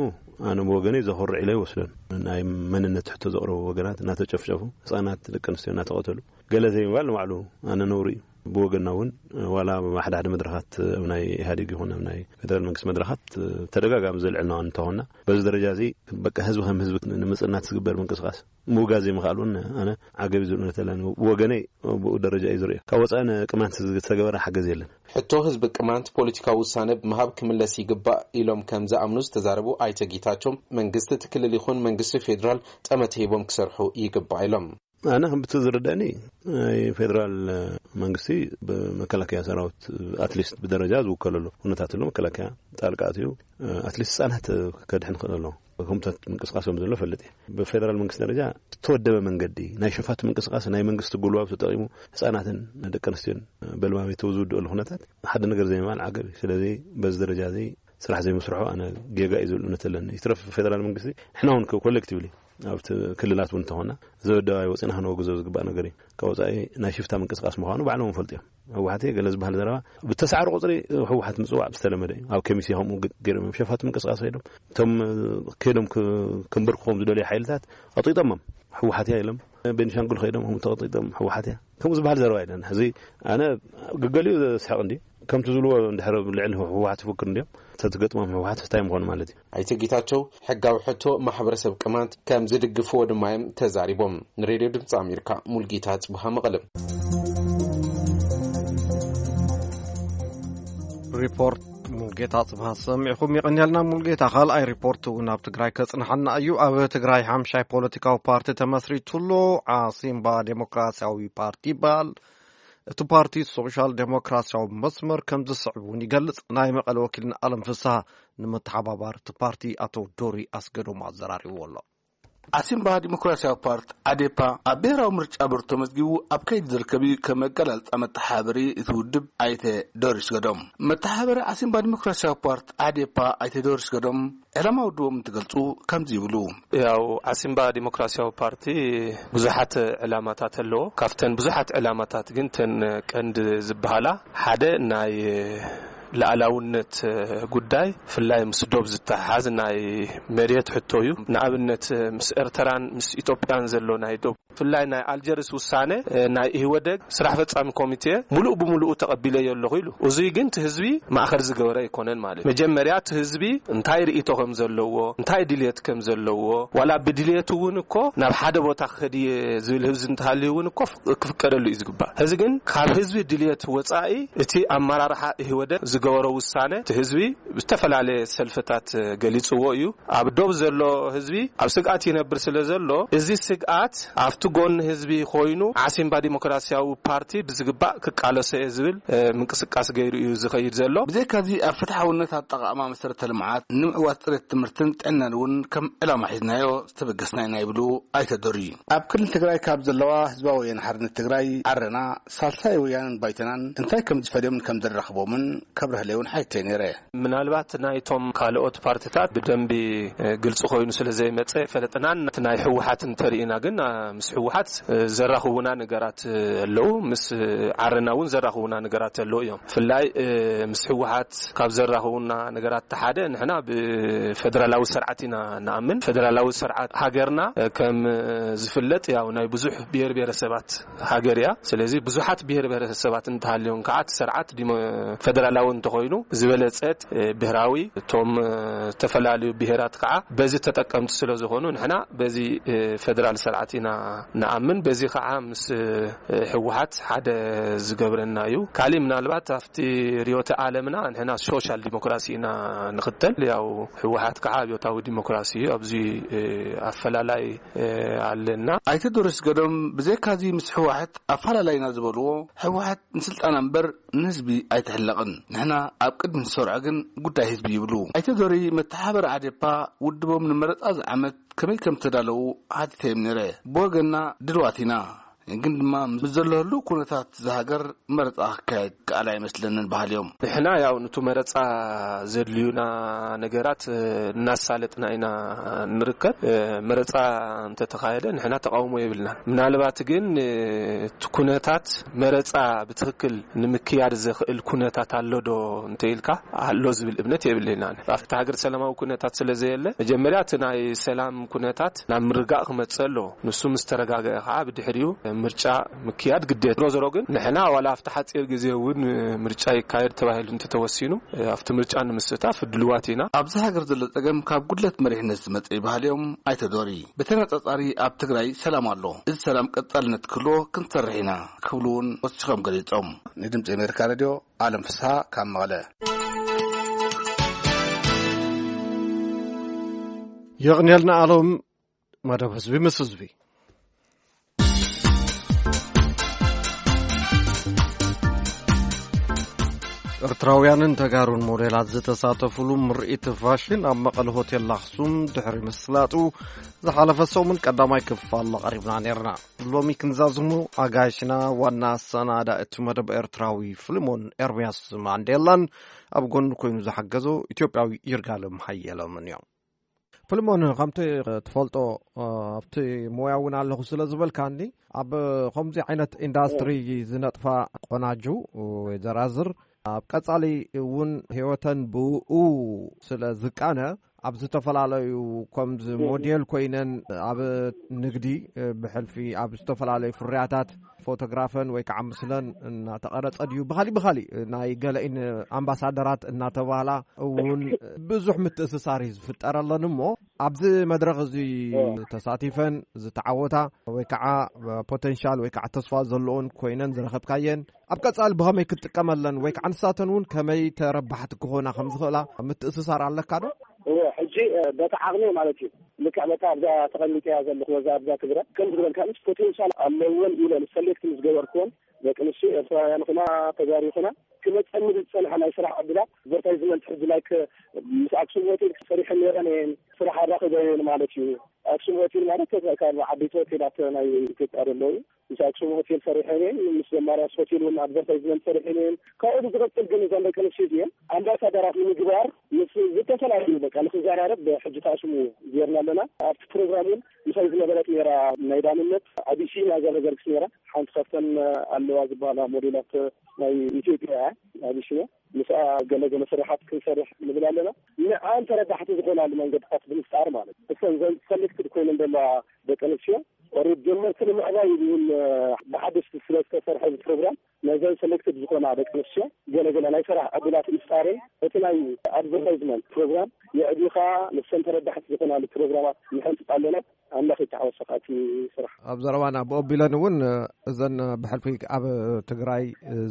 ኣነ ብወገነይ ዘኹርዕ ኢለ ይወስዶን። ናይ መንነት ሕቶ ዘቕረቡ ወገናት እናተጨፍጨፉ፣ ህፃናት ደቂ ኣንስትዮ እናተቐተሉ፣ ገለ ዘይምባል ንባዕሉ ኣነ ነውሪ እዩ። ብወገንና እውን ዋላ ኣብ ሓደ ሓደ መድረኻት ኣብ ናይ ኢህኣዴግ ይኹን ኣብ ናይ ፌደራል መንግስቲ መድረኻት ተደጋጋሚ ዘልዕልና እንተኾንና፣ በዚ ደረጃ እዚ በቃ ህዝቢ ከም ህዝቢ ንምፅናት ዝግበር ምንቅስቃስ ምውጋዝ ዘይምኽኣል እውን ኣነ ዓገብ እዩ ዝብል እምነት ኣለኒ። ብወገነይ ብኡ ደረጃ እዩ ዝርእዮ። ካብ ወፃኢ ንቅማንት ዝተገበረ ሓገዝ የለን። ሕቶ ህዝቢ ቅማንት ፖለቲካዊ ውሳነ ብምሃብ ክምለስ ይግባእ ኢሎም ከም ዝኣምኑ ዝተዛረቡ ኣይተ ጌታቸው፣ መንግስቲ እቲ ክልል ይኹን መንግስቲ ፌዴራል ጠመተ ሂቦም ክሰርሑ ይግባእ ኢሎም። ኣነ ከም ብቲ ዝርዳእኒ ናይ ፌዴራል መንግስቲ ብመከላከያ ሰራዊት ኣትሊስት ብደረጃ ዝውከለሉ ኩነታት ኣሎ። መከላከያ ጣልቃ ኣትዩ ኣትሊስት ህፃናት ከድሕን ክእል ኣለዎ። ከምታት ምንቅስቃስ ከም ዘሎ ፈልጥ እየ። ብፌደራል መንግስቲ ደረጃ ዝተወደበ መንገዲ ናይ ሸፋቱ ምንቅስቃስ ናይ መንግስቲ ጉልባብ ተጠቂሙ ህፃናትን ደቂ ኣንስትዮን በልማሜተው ዝውድእሉ ኩነታት ሓደ ነገር ዘይምባል ዓገብ እዩ። ስለዚ በዚ ደረጃ እዚ ስራሕ ዘይምስርሑ ኣነ ጌጋ እዩ ዝብል እምነት ኣለኒ። ይትረፍ ፌደራል መንግስቲ ንሕና እውን ኮሌክቲቭሊ ኣብቲ ክልላት እውን እንተኾና ዘበደባይ ወፂና ክነወግዞ ዝግባእ ነገር እዩ። ካብ ወፃኢ ናይ ሽፍታ ምንቅስቃስ ምዃኑ ባዕሎም ፈልጡ እዮም። ህወሓት ገለ ዝበሃል ዘረባ ብተሳዕረ ቁፅሪ ህወሓት ምፅዋዕ ዝተለመደ እዩ። ኣብ ከሚሴ ከምኡ ገ-፣ ገይሮም እዮም ሸፋቱ ምንቅስቃስ ከይዶም እቶም ከይዶም ክ-፣ ክንበርክኾም ዝደልዩ ሓይልታት ቀጢጦሞም ህወሓት እያ ኢሎም። ቤኒሻንጉል ከይዶም ከምኡ ተቐጢጦም ህወሓት እያ ከምኡ ዝበሃል ዘረባ የለን። ሕዚ ኣነ ግገሊኡ ዘስሕቕ እንዲ ከምቲ ዝብልዎ እንድሕር ልዕሊ ህወሓት ይፍክር እንዲዮም ተትገጥሞም ህወሓት እንታይ ምኾኑ ማለት እዩ። ኣይተ ጌታቸው ሕጋዊ ሕቶ ማሕበረሰብ ቅማንት ከም ዝድግፍዎ ድማ እዮም ተዛሪቦም። ንሬድዮ ድምፂ ኣሜሪካ ሙልጌታ ጽቡሃ መቐለም። ሪፖርት ሙልጌታ ጽብሃት ሰሚዕኹም። ይቐንየልና ሙልጌታ። ካልኣይ ሪፖርት እውን ኣብ ትግራይ ከጽንሓና እዩ። ኣብ ትግራይ ሓምሻይ ፖለቲካዊ ፓርቲ ተመስሪቱሎ። ዓሲምባ ዴሞክራሲያዊ ፓርቲ ይበሃል። እቲ ፓርቲ ሶሻል ዴሞክራሲያዊ መስመር ከም ዝስዕብ እውን ይገልጽ። ናይ መቐለ ወኪልና ኣለም ፍስሃ ንመተሓባባሪ እቲ ፓርቲ ኣቶ ዶሪ ኣስገዶም ኣዘራሪብዎ ኣሎ። ዓሲምባ ዲሞክራሲያዊ ፓርቲ፣ ዓዴፓ፣ ኣብ ብሔራዊ ምርጫ ቦርድ ተመዝጊቡ ኣብ ከይዲ ዝርከብ እዩ። ከም መገላልጻ መተሓባበሪ እቲ ውድብ ኣይተ ዶሪስ ገዶም፣ መተሓባበሪ ዓሲምባ ዲሞክራሲያዊ ፓርቲ፣ ዓዴፓ፣ ኣይተ ዶሪስ ገዶም፣ ዕላማ ውድቦም እንትገልጹ ከምዚ ይብሉ። ያው ዓሲምባ ዲሞክራሲያዊ ፓርቲ ብዙሓት ዕላማታት ኣለዎ። ካብተን ብዙሓት ዕላማታት ግን ተን ቀንዲ ዝበሃላ፣ ሓደ ናይ ሉዓላውነት ጉዳይ፣ ብፍላይ ምስ ዶብ ዝተሓሓዝ ናይ መሬት ሕቶ እዩ። ንኣብነት ምስ ኤርትራን ምስ ኢትዮጵያን ዘሎ ናይ ዶብ፣ ብፍላይ ናይ ኣልጀርስ ውሳነ ናይ ኢህወደግ ስራሕ ፈጻሚ ኮሚቴ ምሉእ ብምሉኡ ተቐቢለዮ ኣለኹ ኢሉ። እዙይ ግን እቲ ህዝቢ ማእኸል ዝገበረ ኣይኮነን ማለት። መጀመርያ እቲ ህዝቢ እንታይ ርእይቶ ከም ዘለዎ፣ እንታይ ድልየት ከም ዘለዎ፣ ዋላ ብድልየቱ እውን እኮ ናብ ሓደ ቦታ ክኸድ እየ ዝብል ህዝቢ እንተሃልዩ እውን እኮ ክፍቀደሉ እዩ ዝግባእ። ሕዚ ግን ካብ ህዝቢ ድልየት ወጻኢ እቲ ኣመራርሓ ኢህወደግ ዝገበሮ ውሳነ እቲ ህዝቢ ብዝተፈላለየ ሰልፍታት ገሊጽዎ እዩ። ኣብ ዶብ ዘሎ ህዝቢ ኣብ ስግኣት ይነብር ስለ ዘሎ፣ እዚ ስግኣት ኣብቲ ጎኒ ህዝቢ ኮይኑ ዓሲምባ ዲሞክራሲያዊ ፓርቲ ብዝግባእ ክቃለሶ እየ ዝብል ምንቅስቃስ ገይሩ እዩ ዝኸይድ ዘሎ። ብዘይካዚ ኣብ ፍትሓውነት ኣጠቓቕማ መሰረተ ልምዓት፣ ንምዕዋት ፅሬት ትምህርትን ጥዕናን እውን ከም ዕላማ ሒዝናዮ ዝተበገስና ኢና ይብሉ ኣይተ ዶሪ። ኣብ ክልል ትግራይ ካብ ዘለዋ ህዝባዊ ወያነ ሓርነት ትግራይ፣ ዓረና፣ ሳልሳይ ወያነን ባይቶናን እንታይ ከም ዝፈልዮምን ከም ዘራኽቦምን ከብርህለይ እውን ሓይተይ ነይረ። ምናልባት ናይቶም ካልኦት ፓርትታት ብደንቢ ግልፂ ኮይኑ ስለ ዘይመፀ ፈለጥናን፣ እቲ ናይ ህወሓት እንተርኢና ግን ምስ ህወሓት ዘራኽቡና ነገራት ኣለዉ፣ ምስ ዓረና እውን ዘራኽቡና ነገራት ኣለዉ እዮም። ብፍላይ ምስ ህወሓት ካብ ዘራኽቡና ነገራት ሓደ፣ ንሕና ብፌደራላዊ ስርዓት ኢና ንኣምን። ፌደራላዊ ስርዓት ሃገርና ከም ዝፍለጥ ያው ናይ ብዙሕ ብሔር ብሔረሰባት ሃገር እያ። ስለዚ ብዙሓት ብሔር ብሔረሰባት እንተሃልዮም ከዓ እቲ ስርዓት ዲሞ-፣ ፌደራላዊ እንተኾይኑ ዝበለጸት ብሔራዊ፣ እቶም ዝተፈላለዩ ብሔራት ከዓ በዚ ተጠቀምቲ ስለ ዝኾኑ ንሕና በዚ ፌደራል ስርዓት ኢና ንኣምን። በዚ ከዓ ምስ ህወሓት ሓደ ዝገብረና እዩ። ካሊእ ምናልባት ኣብቲ ርዮተ ዓለምና ንሕና ሶሻል ዲሞክራሲ ኢና ንኽተል። ያው ህወሓት ከዓ ኣብዮታዊ ዲሞክራሲ እዩ። ኣብዚ ኣፈላላይ ኣለና። ኣይተ ዶሪስ ገዶም ብዘይካዚ ምስ ህወሓት ኣፈላላይና ዝበልዎ፣ ህወሓት ንስልጣና እምበር ንህዝቢ ኣይትሕለቕን። ንሕና ኣብ ቅድሚ ንሰርዖ ግን ጉዳይ ህዝቢ ይብሉ። ኣይተ ዶሪ መተሓባበሪ ዓዴፓ ውድቦም ንመረፃ ዝዓመት ከመይ ከም ተዳለዉ ሓቲተዮም ነይረ። ብወገንና ድልዋት ኢና፣ ግን ድማ ምስ ዘሎ ህሉው ኩነታት ዝሃገር መረፃ ክካየድ ከኣል ኣይመስለንን በሃሊ እዮም። ንሕና ያው ንቱ መረፃ ዘድልዩና ነገራት እናሳለጥና ኢና ንርከብ። መረፃ እንተተኻየደ ንሕና ተቃውሞ የብልናን። ምናልባት ግን እቲ ኩነታት መረፃ ብትኽክል ንምክያድ ዘኽእል ኩነታት ኣሎ ዶ እንተኢልካ፣ ኣሎ ዝብል እምነት የብልናን። ኣብቲ ሃገር ሰላማዊ ኩነታት ስለ ዘየለ፣ መጀመርያ እቲ ናይ ሰላም ኩነታት ናብ ምርጋእ ክመፅእ ኣለዎ። ንሱ ምስ ተረጋገአ ከዓ ብድሕሪኡ ምርጫ ምክያድ ግዴታ። ዞሮ ዞሮ ግን ንሕና ዋላ ኣብቲ ሓፂር ግዜ እውን ምርጫ ይካየድ ተባሂሉ እንተተወሲኑ፣ ኣብቲ ምርጫ ንምስታፍ ድልዋት ኢና። ኣብዚ ሃገር ዘሎ ፀገም ካብ ጉድለት መሪሕነት ዝመፀ እዩ በሃሊ እዮም ኣይተ ዶሪ። ብተነፃፃሪ ኣብ ትግራይ ሰላም ኣሎ። እዚ ሰላም ቀፃልነት ክህልዎ ክንሰርሕ ኢና ክብሉ እውን ወሲኾም ገሊፆም። ንድምፂ ኣሜሪካ ሬድዮ ኣለም ፍስሃ ካብ መቐለ። የቕንየልና ኣሎም። መደብ ህዝቢ ምስ ህዝቢ። ኤርትራውያንን ተጋሩን ሞዴላት ዝተሳተፉሉ ምርኢት ፋሽን ኣብ መቐለ ሆቴል ኣኽሱም ድሕሪ ምስላጡ፣ ዝሓለፈ ሰሙን ቀዳማይ ክፋል ኣቕሪብና ነይርና። ሎሚ ክንዛዝሙ ኣጋይሽና ዋና ኣሰናዳኢ እቲ መደብ ኤርትራዊ ፍልሞን ኤርምያስ ማንዴላን ኣብ ጎኑ ኮይኑ ዝሓገዞ ኢትዮጵያዊ ይርጋለም ሃየሎምን እዮም። ፍልሞን፣ ከምቲ ትፈልጦ፣ ኣብቲ ሞያ እውን ኣለኹ ስለ ዝበልካኒ፣ ኣብ ከምዚ ዓይነት ኢንዳስትሪ ዝነጥፋ ቆናጁ ወይ ዘራዝር ኣብ ቀጻሊ እውን ህይወተን ብኡ ስለ ዝቃነ፣ ኣብ ዝተፈላለዩ ከምዚ ሞዴል ኮይነን ኣብ ንግዲ፣ ብሕልፊ ኣብ ዝተፈላለዩ ፍርያታት ፎቶግራፈን ወይ ከዓ ምስለን እናተቐረጸ ድዩ፣ ብኻሊእ ብኻሊእ ናይ ገለኢን ኣምባሳደራት እናተባህላ እውን ብዙሕ ምትእስሳር እዩ ዝፍጠረለን። እሞ ኣብዚ መድረኽ እዚ ተሳቲፈን ዝተዓወታ ወይ ከዓ ፖቴንሻል ወይ ከዓ ተስፋ ዘለዎን ኮይነን ዝረኸብካየን፣ ኣብ ቀጻሊ ብኸመይ ክትጥቀመለን ወይ ከዓ ንሳተን እውን ከመይ ተረባሕቲ ክኾና ከም ዝኽእላ ምትእስሳር ኣለካ ዶ? እወ፣ ሕጂ በታ ዓቕሚ ማለት እዩ። ልክዕ በታ ኣብዛ ተቐሚጠያ ዘለኹ፣ በዛ ኣብዛ ትግረ ከም ዝበልካ ምስ ፖቴንሻል ኣለወን ኢለ ሰሌክት ምስ ገበርኩወን፣ ደቂ ኣንስትዮ ኤርትራውያን ይኹና ተጋሩ ይኹና ክመፀኒ ዝፀንሐ ናይ ስራሕ ዕድላት፣ ኣድቨርታይዝመንት፣ ሕጂ ላይክ ምስ ኣክሱም ሆቴል ሰሪሐን ነይረን እየን፣ ስራሕ ኣራኺበ እየን ማለት እዩ። ኣክሱም ሆቴል ማለት ካብ ዓበይቲ ሆቴላት ናይ ኢትዮጵያ ዘለዉ፣ ምስ ኣክሱም ሆቴል ሰሪሐን እየን፣ ምስ ዘማርያስ ሆቴል እውን ኣድቨርታይዝመንት ሰሪሐን እየን። ካብኡ ብዝቐፅል ግን እዘን ደቂ ኣንስትዮ እዚአን ኣምባሳደራት ንምግባር ምስ ዝተፈላለዩ በቃ ንክዘራረብ ሕጂ ተኣስሙ ጌርና ኣለና። ኣብቲ ፕሮግራም እውን ምሳይ ዝነበረት ነይራ፣ ናይ ዳንነት ኣቢሲና ዘረገርግስ ነይራ። ሓንቲ ካብተን ኣለዋ ዝበሃላ ሞዴላት ናይ ኢትዮጵያ እያ፣ ኣቢሲና። ምስኣ ገለ ገለ ስራሓት ክንሰርሕ ንብል ኣለና። ንዓን ተረዳሕቲ ዝኾናሉ መንገድታት ብምፍጣር ማለት እዩ። እሰን ዘን ሰሌክትድ ኮይነን ዘለዋ ደቂ ኣንስትዮ ኦሬዲ ጀመርቲ ንምዕባይ እውን ብሓደሽቲ ስለ ዝተሰርሐ እዚ ፕሮግራም፣ ነዘን ሰሌክትድ ዝኾና ደቂ ኣንስትዮ ገለ ገለ ናይ ስራሕ ዕድላት ምፍጣርን እቲ ናይ ኣድቨርታይዝመንት ፕሮግራም የዕቢኻ ንሰን ተረዳሕቲ ዝኾናሉ ፕሮግራማት ንሕንፅፅ ኣለና። ኣምላኽ ይተሓወሰካ እቲ ስራሕ። ኣብ ዘረባና ብኦ ቢለን እውን እዘን ብሕልፊ ኣብ ትግራይ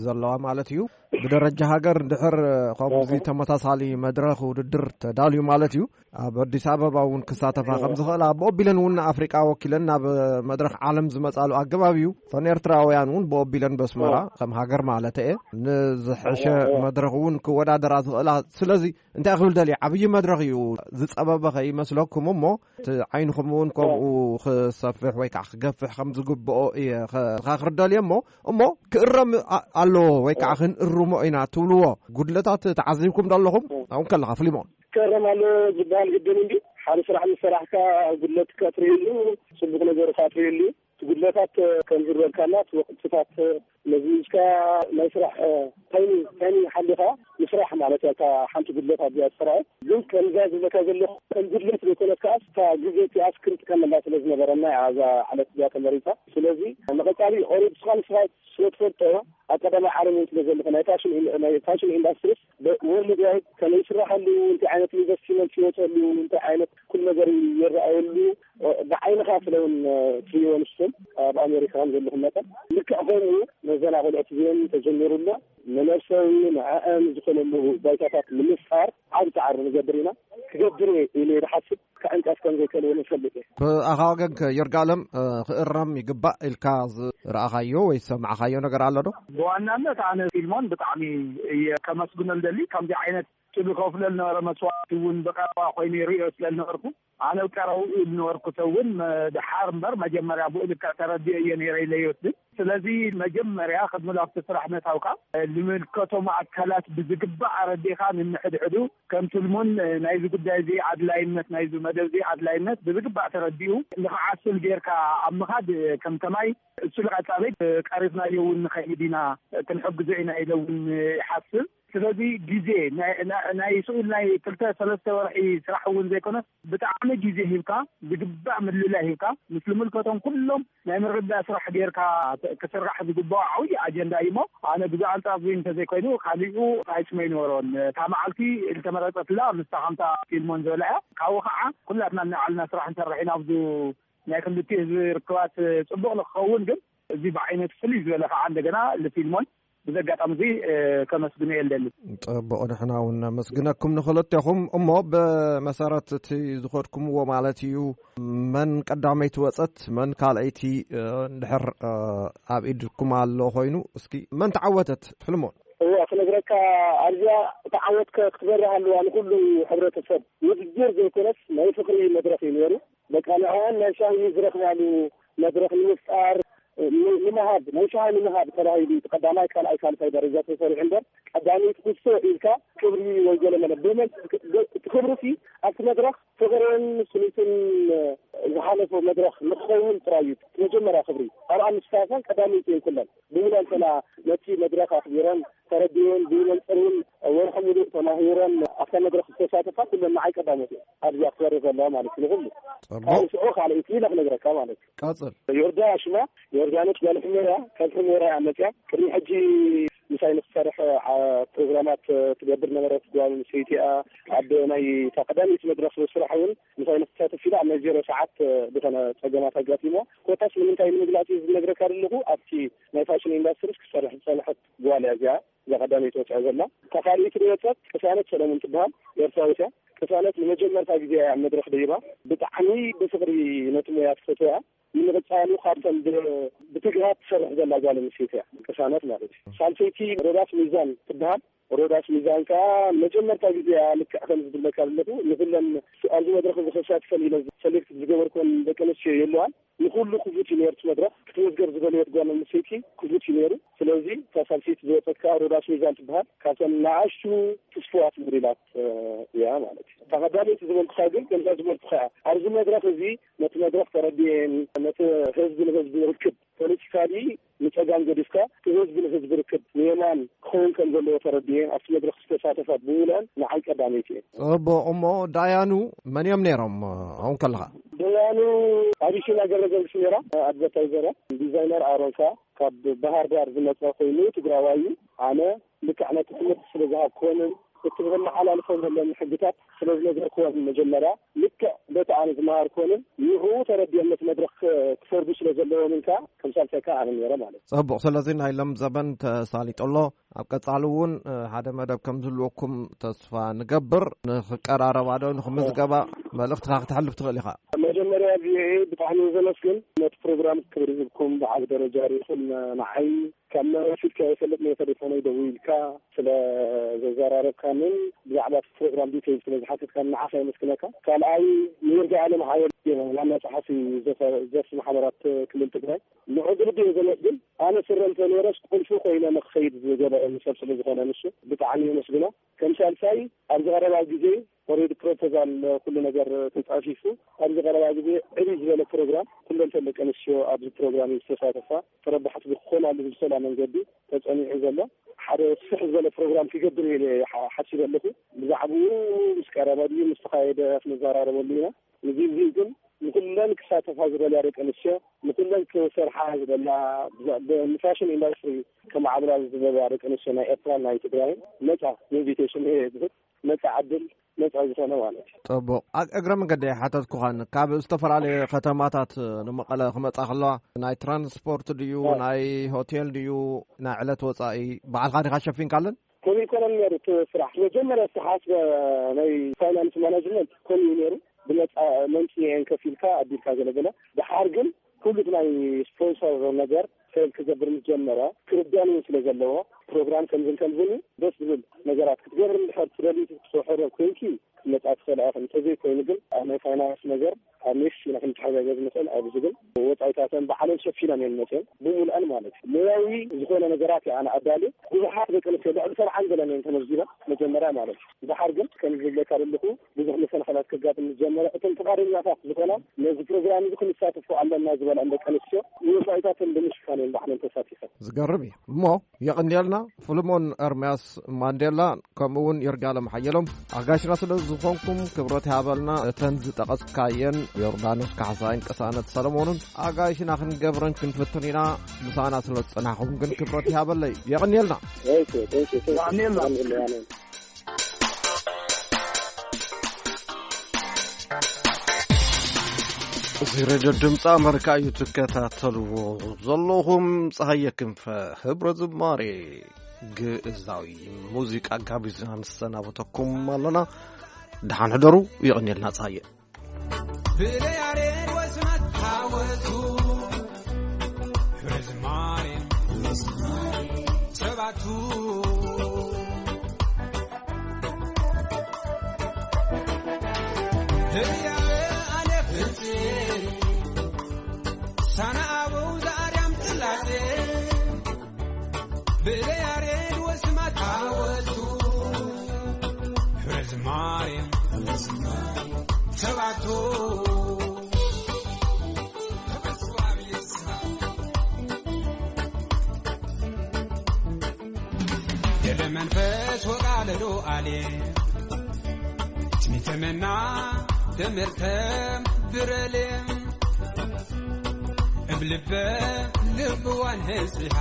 ዘለዋ ማለት እዩ፣ ብደረጃ ሃገር እንድሕር ከምዚ ተመሳሳሊ መድረኽ ውድድር ተዳልዩ ማለት እዩ፣ ኣብ ኣዲስ ኣበባ እውን ክሳተፋ ከም ዝኽእላ፣ ብኦ ቢለን እውን ንኣፍሪቃ ወኪለን ናብ መድረኽ ዓለም ዝመጻሉ ኣገባብ እዩ። እተን ኤርትራውያን እውን ብኦ ቢለን በስመራ ከም ሃገር ማለት እየ ንዝሐሸ መድረኽ እውን ክወዳደራ ዝኽእላ። ስለዚ እንታይ ክብል ደልየ፣ ዓብዪ መድረኽ እዩ፣ ዝጸበበ ከይመስለኩም እሞ፣ እቲ ዓይንኹም እውን ከምኡ ክሰፍሕ ወይ ከዓ ክገፍሕ ከም ዝግብኦ እየ ከ-፣ ከኽርደልየ እሞ፣ እሞ ክእረም ኣ-፣ ኣለዎ ወይ ከዓ ክንእርሞ ኢና ትብልዎ ጉድለታት ተዓዚብኩም ዶ ኣለኹም? ኣብኡ ከለኻ ፍሊሞን። ክእረም ኣለዎ ዝበሃል ግድን እንዲ፣ ሓደ ስራሕ ምስ ሰራሕካ ጉድለትካ ትርእየሉ፣ ጽቡቕ ነገርካ ትርእየሉ። እቲ ጉድለታት ከም ዝበልካና፣ እቲ ወቕትታት መዚዝካ ናይ ስራሕ ታይሚንግ፣ ታይሚንግ ሓሊኻ ምስራሕ ማለት እያ። እታ ሓንቲ ጉድለት ኣብዚኣ ትስራኤ። ግን ከምዛ ዝብለካ ዘለኹ ከም ጉድለት ዘይኮነት ከኣ፣ እታ ግዜ እቲኣስ ክንጥቀመላ ስለ ዝነበረና እያ እዛ ዕለት እዚኣ ተመሪጻ። ስለዚ ንቐጻሊ ኦሬዲ ንስኻ ንስኻ ስለ ትፈልጦ፣ ኣብ ቀዳማይ ዓለም እውን ስለ ዘለኹ፣ ናይ ፋሽን ኢን-፣ ናይ ፋሽን ኢንዳስትሪስ ብ-፣ ወርልድ ዋይድ ከመይ ይስራሓሉ፣ እንታይ ዓይነት ኢንቨስትመንት ይወፀሉ፣ እንታይ ዓይነት ኩሉ ነገር ይረኣየሉ፣ እ፣ ብዓይንኻ ስለ እውን፣ እ፣ ትሪእዎ ንስኹም ኣብ ኣሜሪካ ከም ዘለኹም መጠን፣ ልክዕ ከምኡ ነዘን ኣቆልዑት እዚአን ተጀሚሩና፣ ንነብሰዊ ንዕአን ዝኾነሉ ባይታታት ንምፍጣር ዓቢ ጻዕሪ ንገብር ኢና። ክገብር እየ ኢለ እየ ዝሓስብ። ክዕንቀፍ ከም ዘይክእል እውን እፈልጥ እየ። ብኣኻ ወገን ከ ይርጋለም፣ እ፣ ክእረም ይግባእ ኢልካ ዝረኣኻዮ ወይ ዝሰማዕኻዮ ነገር ኣሎ ዶ? ብዋናነት ኣነ ፊልሞን ብጣዕሚ እየ ከመስግኖ ዝደሊ። ከምዚ ዓይነት እቲ ዝኸፍሎ ዝነበረ መስዋእቲ እውን ብቐረባ ኮይኑ ይርእዮ ስለ ዝነበርኩ፣ ኣነ ቀረብኡ ዝነበርኩ ሰብ እውን መ-፣ ድሓር እምበር መጀመርያ ብኡ ልክዕ ተረዲኦ እየ ነይረ ኢለ ይወስድ። ስለዚ መጀመርያ ቅድሚ ናብቲ ስራሕ ምእታውካ፣ ዝምልከቶም ኣካላት ብዝግባእ ኣረዲእኻ፣ ንንሕድሕዱ ከም ትልሙን ናይዚ ጉዳይ እዚ ኣድላይነት፣ ናይዚ መደብ እዚ ኣድላይነት ብዝግባእ ተረዲኡ ንኽዓስል ጌርካ ኣብ ምኻድ ከም ከማይ እሱ ንቐጻሊ ቀሪብናዮ እውን ንኸይድ ኢና፣ ክንሕግዞ ኢና ኢለ እውን ይሓስብ። ስለዚ ግዜ ናይ፣ ናይ፣ ናይ ስኡል ናይ ክልተ ሰለስተ ወርሒ ስራሕ እውን ዘይኮነስ ብጣዕሚ ግዜ ሂብካ፣ ዝግባእ ምልላይ ሂብካ፣ ምስ ዝምልከቶም ኩሎም ናይ ምርድዳእ ስራሕ ጌርካ ተ-፣ ክስራሕ ዝግባኦ ዓብዪ ኣጀንዳ እዩ እሞ፣ ኣነ ብዛዕባ ኣንጻር እዚ እንተዘይኮይኑ፣ ካሊኡ ራይትስ ኣይነበሮን። እታ መዓልቲ ዝተመረጸትላ ምስታ ከምታ ፊልሞን ዝበላ እያ። ካብኡ ከዓ ኩላትና እናዓልና ስራሕ ንሰርሕ ኢና። ኣብዚ ናይ ክልቲኡ ህዝቢ ርክባት ጽቡቕ ንክኸውን ግን፣ እዚ ብዓይነቱ ፍልይ ዝበለ ከዓ እንደገና ንፊልሞን ብዚ ኣጋጣሚ እዚ፣ እ፣ ከመስግኖ እየ ልደሊ። ጽቡቕ፣ ንሕና እውን ነመስግነኩም ንኽልቴኹም። እሞ ብመሰረት እቲ ዝኸድኩምዎ ማለት እዩ፣ መን ቀዳመይቲ ወጸት፣ መን ካልኣይቲ፣ እ፣ እንድሕር፣ እ፣ ኣብ ኢድኩም ኣሎ ኮይኑ፣ እስኪ መን ተዓወተት? ፍልሞን። እዋ፣ ክነግረካ፣ ኣብዚኣ ተዓወት ከ-፣ ክትበርህ ኣለዋ ንኹሉ ሕብረተሰብ። ውድድር ዘይኮነስ ናይ ፍቕሪ መድረኽ እዩ ነይሩ። በቃ ንዕኣን ናይ ሻሂ ዝረኽባሉ መድረኽ ንምፍጣር፣ ን-፣ ንምሃብ፣ ናይ ሻሂ ንምሃብ ተባሂሉ እቲ ቀዳማይ፣ ካልኣይ፣ ሳልሳይ ደረጃ ተሰሪዑ እምበር፣ ቀዳመይቲ ኩሶ ኢልካ ክብሪ ወይ ገለ መለ ብመን-፣ እቲ ክብሪ ሲ ኣብቲ መድረኽ ፍቕርን ስኒትን ዝሓለፎ መድረኽ ንክኸውን ጥራይ እዩ። እቲ መጀመርያ ክብሪ ኣብኣ ምስታፈን ቀዳመይቲ እየን ኩለን። ብሙሉ እንተና ነቲ መድረኽ ኣኽቢረን ተረዲኤን ብመንጽር እውን ወርሒ ሙሉእ ተማሂረን ኣብታ መድረኽ ዝተሳተፋ ኩለን ንዓይ ቀዳሞት እየን። ኣብዚኣ ክትበርህ ዘለዋ ማለት እዩ ንኹሉ። ጽቡቕ። ካብ ሽዑ ካልኣይቲ ኢለ ክነግረካ ማለት እዩ። ቀጽል። ዮርዳ ሽማ፣ ዮርዳኖስ ጓል ሕሞራ፣ ካብ ሕሞራ እያ መጽያ። ቅድሚ ሕጂ ምሳይ ንክትሰርሕ ዓ- ፕሮግራማት ትገብር ነበረት ጓል ኣንስተይቲ እያ። ኣብ ናይ እታ ቀዳመይቲ መድረክ ስራሕ እውን ምሳይ ንክትሳተፍ ኢላ ኣብ ናይ ዜሮ ሰዓት ዝኾነ ጸገማት ኣጋጢሞ። ኮታስ ንምንታይ ንምግላጽ እዩ ዝነግረካ ዘለኹ፣ ኣብቲ ናይ ፋሽን ኢንዳስትሪ ክሰርሕ ዝጸንሐት ጓል እያ እዚኣ። እዛ ቀዳመይቲ ወፅያ ዘላ። እታ ካልኣይቲ ዝወፀት ቅሳነት ሰለሙን ትበሃል፣ ኤርትራዊት እያ። ቅሳነት ንመጀመርታ ግዜ እያ ኣብ መድረክ ደይባ። ብጣዕሚ ብፍቅሪ ነቲ ሞያ ትፈትዎ እያ። ንምቕፃሉ ካብተን ብ- ብትግሃት ትሰርሕ ዘላ ጓል ኣንስተይቲ እያ ቅሳነት ማለት እዩ። ሳልሰይቲ ሮዳስ ሚዛን ትበሃል። ሮዳስ ሚዛን ከዓ ንመጀመርታ ግዜ እያ። ልክዕ ከም ዝብለካ ዘለኹ ንኩለን ኣብዚ መድረክ እዚ ክሳተፈን ኢለ ሰሌክት ዝገበርኩን ደቂ ኣንስትዮ የለዋን። ንኩሉ ክፉት እዩ ነይሩ እቲ መድረክ። ክትመዝገብ ዝበለየት ጓል ኣንስተይቲ ክፉት እዩ ነይሩ። ስለዚ እታ ሳልሰይቲ ዝወፀት ከዓ ሮዳስ ሚዛን ትበሃል። ካብተን ንኣሽቱ ትስፍዋት ሞዴላት እያ ማለት እዩ። እታ ቀዳመይቲ ዝበልኩኻ ግን ከምዛ ዝበልኩኻ እያ። ኣብዚ መድረክ እዚ ነቲ መድረክ ተረዲኤን ነቲ ህዝቢ ንህዝቢ ርክብ ፖለቲካሊ ንፀጋም ገዲፍካ እቲ ህዝቢ ንህዝቢ ርክብ ንየማን ክኸውን ከም ዘለዎ ተረዲኤን ኣብቲ መድረክ ዝተሳተፋ ብምሉአን ንዓይ ቀዳመይቲ እየን። ጽቡቕ። እሞ ዳያኑ መን እዮም ነይሮም? ኣሁን ከለኻ ደያኑ ኣቢሲና ገብረገርግስ ነይራ። ኣድቨርታይዘር እያ። ዲዛይነር ኣሮን ከኣ ካብ ባህር ዳር ዝመጸ ኮይኑ ትግራዋይ እዩ። ኣነ ልክዕ ነቲ ትምህርቲ ስለ ዝሃብክዎምን እቲ ክመሓላልፎም ዘለኒ ሕግታት ስለ ዝነገርክዎም መጀመርያ ልክዕ በቲ ኣነ ዝመሃርክዎምን ንዕኡ ተረዲኦም ነቲ መድረኽ ክፈርዱ ስለ ዘለዎምን ከኣ ከም ሳልሳይ ከኣ ኣነ ነይረ ማለት እዩ። ጽቡቕ። ስለዚ ናይ ሎም ዘበን ተሳሊጡ ኣሎ። ኣብ ቀጻሊ እውን ሓደ መደብ ከም ዝህልወኩም ተስፋ ንገብር። ንኽቀራረባ ዶ ንኽምዝገባ መልእኽትኻ ክተሕልፍ ትኽእል ኢኻ። መጀመርያ ቪኦኤ ብጣዕሚ ዘመስግን ነቲ ፕሮግራም ክብሪ ሂብኩም ብዓቢ ደረጃ ርኢኹም ንዓይ ካብ መረፊት ከይፈልጥ ነይ ተሌፎነይ ደዊልካ ስለ ዘዘራረብካንን ብዛዕባ እቲ ፕሮግራም ዲቴይል ስለ ዝሓተትካን ንዓኻ የመስግነካ። ካልኣይ ንይርጋ ኣለም ሓየል ዋና ጸሓፊ ዘፈ- ዘርፊ ማሕበራት ክልል ትግራይ ንዑ ብልቢ እየ ዘመስግን። ኣነ ስረ እንተነይረስ ቁልፊ ኮይነ ንክኸይድ ዝገበረኒ ሰብ ስለ ዝኾነ ንሱ ብጣዕሚ የመስግኖ። ከም ሳልሳይ ኣብዚ ቀረባ ግዜ ኦሬዲ ፕሮፖዛል ኩሉ ነገር ተጻፊፉ ኣብዚ ቀረባ ግዜ ዕብይ ዝበለ ፕሮግራም ኩለን ተን ደቂ ኣንስትዮ ኣብዚ ፕሮግራም ዝተሳተፋ ተረባሕቲ ዝኮናሉ ብዝሰላ መንገዲ ተጸኒዑ ዘሎ ሓደ ስፍሕ ዝበለ ፕሮግራም ክገብር ኢለ ሓሲበ ኣለኹ። ብዛዕባኡ ምስ ቀረበ ድዩ ምስ ተኻየደ ክንዘራረበሉ ኢና። ንግዜኡ ግን ንኩለን ክሳተፋ ዝደልያ ደቂ ኣንስትዮ ንኩለን ክሰርሓ ዝደልያ ንፋሽን ኢንዳስትሪ ከማዕብላ ዝደልያ ደቂ ኣንስትዮ ናይ ኤርትራን ናይ ትግራይን ነፃ ኢንቪቴሽን እየ ዝህብ። ነፃ ዕድል ነፃ ዝኾነ ማለት እዩ። ፅቡቕ። እግረ መንገዲ ሓተትኩኻን ካብ ዝተፈላለዩ ከተማታት ንመቐለ ክመፃ ከለዋ ናይ ትራንስፖርት ድዩ ናይ ሆቴል ድዩ ናይ ዕለት ወፃኢ ባዕልኻ ዲኻ ሸፊንካለን? ከምኡ ይኮነን ነይሩ እቲ ስራሕ መጀመርያ ዝተሓስበ ናይ ፋይናንስ ማናጅመንት ከምኡ እዩ ነይሩ። ብነፃ መንፂ እየን ከፊልካ ኣቢልካ ገለገለ። ድሓር ግን ኩሉ እቲ ናይ ስፖንሰር ነገር ፌል ክገብር ምስ ጀመረ ክርዳን እውን ስለ ዘለዎ ፕሮግራም ከምዝን ከምዝን ደስ ዝብል ነገራት ክትገብር እንድሕር ትደሊ ትሕረብ ኮይንኪ ክትመፃ ትኽእላ ኢኽን። እንተዘይኮይኑ ግን ኣብ ናይ ፋይናንስ ነገር ኣብ ኔክስት ኢና ክንተሓጋገዝ ንኽእል ኣብዚ ግን ወፃኢታተን ባዕለን ሸፊነን እየን መፅየን ብምሉኣን ማለት እዩ። ሞያዊ ዝኾነ ነገራት እየ ኣነ ኣዳልየ ብዙሓት ደቂ ኣንስትዮ ልዕሊ ሰብዓን ገለን እየን ተመዝጊበን መጀመርያ ማለት እዩ። ድሓር ግን ከም ዝብለካ ዘለኹ ብዙሕ መሰናኸላት ከጋጥም ዝጀመረ እቶም ፍቓደኛታት ዝኾና ነዚ ፕሮግራም እዚ ክንሳተፎ ኣለና ዝበላ ደቂ ኣንስትዮ ንወፃኢታተን ብምሽፋን እየን ባዕለን ተሳቲፈን። ዝገርም እዩ እሞ የቐንየልና ፍልሞን ኤርምያስ ማንዴላ ከምኡ እውን ይርጋለም ሓየሎም ኣጋሽና ስለ ዝኾንኩም ክብረት ይሃበልና። እተን ዝጠቐስካየን ዮርዳኖስ ካሕሳይን ቅሳነት ሰለሞንን ኣጋይሽና ክንገብረን ክንፍትን ኢና። ምሳና ስለ ዝጸናሕኹም ግን ክብረት ይሃበለይ። የቐንየልና። የቐንየልና። እዚ ሬድዮ ድምፂ ኣመሪካ እዩ ትከታተልዎ ዘለኹም። ፀሃየ ክንፈ ህብረ ዝማሬ ግእዛዊ ሙዚቃ ጋቢዝና ንሰናበተኩም ኣለና። ደሓን ሕደሩ። የቐንየልና ፀሃየ። ብለያሬድ ወስናት ታወቱ ህብረ ዝማሬ ሰባቱ ህያበ ኣነ ፍልጤ ሳና ኣበው ዘኣርያም ጽላቴ ብለ ያሬድ ወስማት ኣወቱ ህብረ ዝማሬ ሰባቱ ደብረ መንፈስ ወቃለዶ ኣሌ ትሚተመና ደመርተ ብረሌ እብ ልበ ልብዋን ህዝቢሃ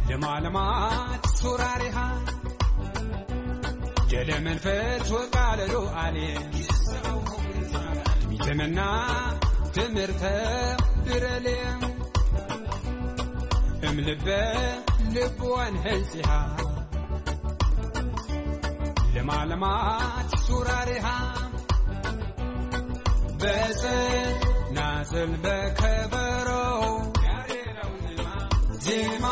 ለማለማት ሱራሪሃ ጀለ መንፈስ ወቃለሉ ኣሌ ሚተመና ትምህርተ ብረሌ እም ልበ ልብዋን ህንጺሃ ለማለማት ሱራሪሃ በዘ ናዘል በከበሮ ዜማ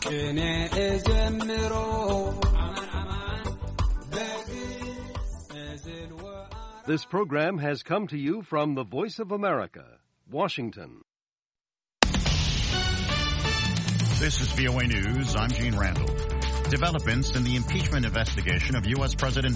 ቅኔ እዘምሮ በዚ እዝል ወ- This program has come to you from the Voice of America, Washington. This is V O A News. I'm Gene Randall. Developments in the impeachment investigation of U S President